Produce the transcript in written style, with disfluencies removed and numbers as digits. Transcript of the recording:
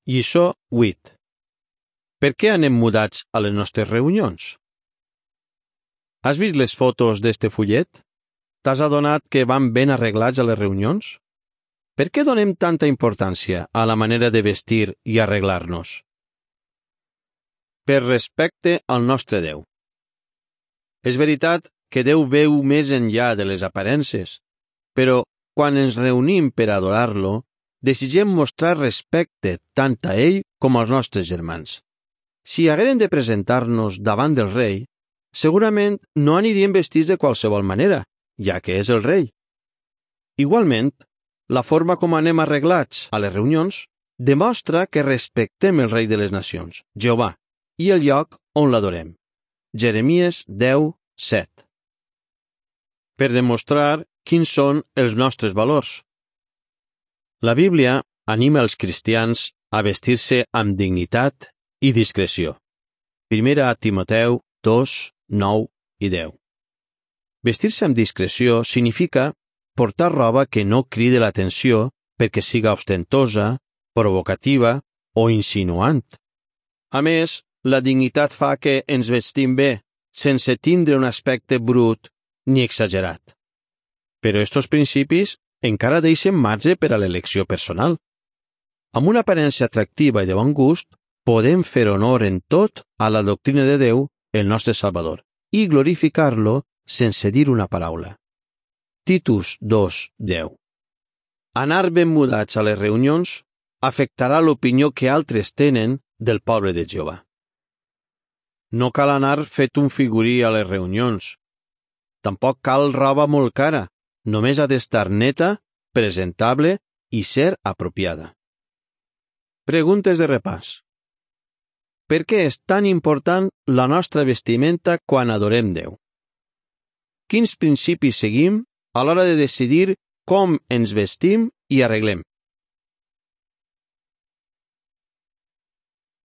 Lliçó 8. Per què anem mudats a les nostres reunions? Has vist les fotos d'este fullet? T'has adonat que van ben arreglats a les reunions? Per què donem tanta importància a la manera de vestir i arreglar-nos? Per respecte al nostre Déu. És veritat que Déu veu més enllà de les aparences, però quan ens reunim per adorar-lo, desitgem mostrar respecte tant a ell com als nostres germans. Si hagueren de presentar-nos davant del rei, segurament no anirien vestits de qualsevol manera, ja que és el rei. Igualment, la forma com anem arreglats a les reunions demostra que respectem el rei de les nacions, Jehovà, i el lloc on l'adorem. Jeremies 10:7. Per demostrar quins són els nostres valors. La Bíblia anima els cristians a vestir-se amb dignitat i discreció. 1 Timoteu 2, 9 i 10. Vestir-se amb discreció significa portar roba que no cride l'atenció perquè siga ostentosa, provocativa o insinuant. A més, la dignitat fa que ens vestim bé, sense tindre un aspecte brut ni exagerat. Però estos principis encara deixen marge per a l'elecció personal. Amb una aparença atractiva i de bon gust, podem fer honor en tot a la doctrina de Déu, el nostre Salvador, i glorificar-lo sense dir una paraula. Titus 2:10. Anar ben mudats a les reunions afectarà l'opinió que altres tenen del poble de Jehovà. No cal anar fet un figurí a les reunions. Tampoc cal roba molt cara, només ha d'estar neta, presentable i ser apropiada. Preguntes de repàs. Per què és tan important la nostra vestimenta quan adorem Déu? Quins principis seguim a l'hora de decidir com ens vestim i arreglem?